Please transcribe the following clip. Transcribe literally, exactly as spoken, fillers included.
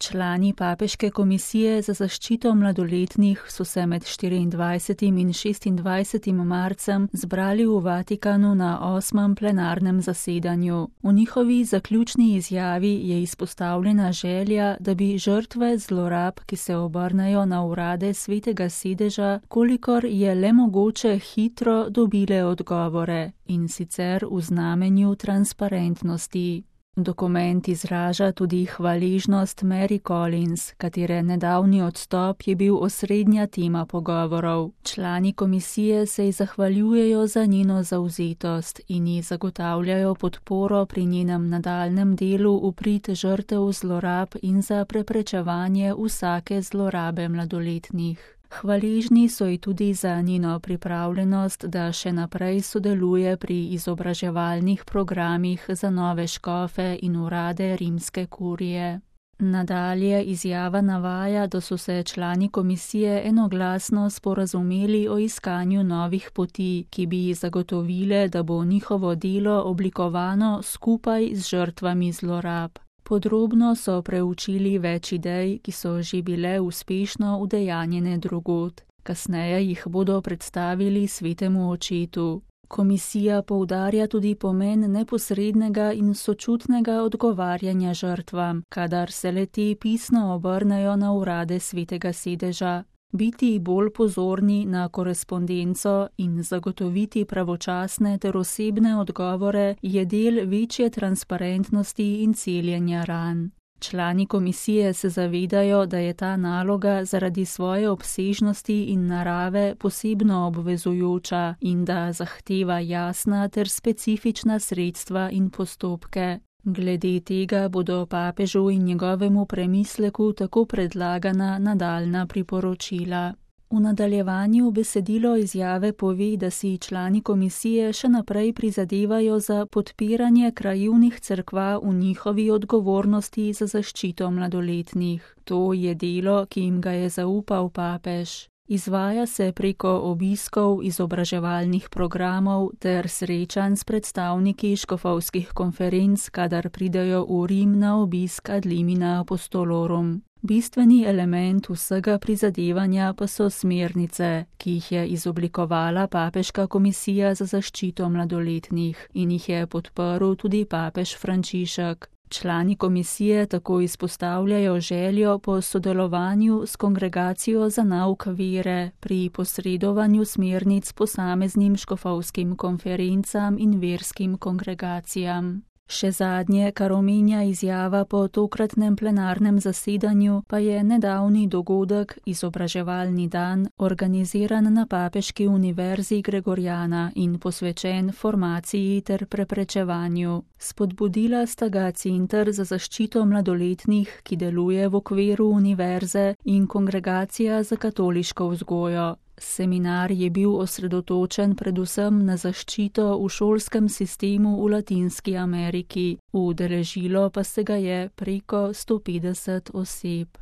Člani Papeške komisije za zaščito mladoletnih so se med štiriindvajsetim in šestindvajsetim marcem zbrali v Vatikanu na osmem plenarnem zasedanju. V njihovi zaključni izjavi je izpostavljena želja, da bi žrtve zlorab, ki se obrnejo na urade Svetega sedeža, kolikor je le mogoče hitro dobile odgovore, in sicer v znamenju transparentnosti. Dokument izraža tudi hvaležnost Mary Collins, katere nedavni odstop je bil osrednja tema pogovorov. Člani komisije se ji zahvaljujejo za njeno zavzetost in ji zagotavljajo podporo pri njenem nadaljnjem delu v prid žrtev zlorab in za preprečevanje vsake zlorabe mladoletnih. Hvaležni so ji tudi za njeno pripravljenost, da še naprej sodeluje pri izobraževalnih programih za nove škofe in urade rimske kurije. Nadalje izjava navaja, da so se člani komisije enoglasno sporazumeli o iskanju novih poti, ki bi ji zagotovile, da bo njihovo delo oblikovano skupaj z žrtvami zlorab. Podrobno so preučili več idej, ki so že bile uspešno udejanjene drugod. Kasneje jih bodo predstavili Svetemu očetu. Komisija poudarja tudi pomen neposrednega in sočutnega odgovarjanja žrtvam, kadar se le-te pisno obrnejo na urade Svetega sedeža. Biti bolj pozorni na korespondenco in zagotoviti pravočasne ter osebne odgovore je del večje transparentnosti in celjenja ran. Člani komisije se zavedajo, da je ta naloga zaradi svoje obsežnosti in narave posebno obvezujoča in da zahteva jasna ter specifična sredstva in postopke. Glede tega bodo papežu in njegovemu premisleku tako predlagana nadaljnja priporočila. V nadaljevanju besedilo izjave pove, da si člani komisije še naprej prizadevajo za podpiranje krajevnih cerkva v njihovi odgovornosti za zaščito mladoletnih. To je delo, ki jim ga je zaupal papež. Izvaja se preko obiskov izobraževalnih programov ter srečanj s predstavniki škofovskih konferenc, kadar pridejo v Rim na obisk ad limina apostolorum. Bistveni element vsega prizadevanja pa so smernice, ki jih je izoblikovala Papeška komisija za zaščito mladoletnih in jih je podprl tudi papež Frančišek. Člani komisije tako izpostavljajo željo po sodelovanju s Kongregacijo za nauk vere pri posredovanju smernic posameznim škofovskim konferencam in verskim kongregacijam. Še zadnje, kar omenja izjava po tokratnem plenarnem zasedanju, pa je nedavni dogodek, izobraževalni dan, organiziran na Papeški univerzi Gregoriana in posvečen formaciji ter preprečevanju. Spodbudila sta ga Center za zaščito mladoletnih, ki deluje v okviru univerze, in Kongregacija za katoliško vzgojo. Seminar je bil osredotočen predvsem na zaščito v šolskem sistemu v Latinski Ameriki, udeležilo pa se ga je preko sto petdeset oseb.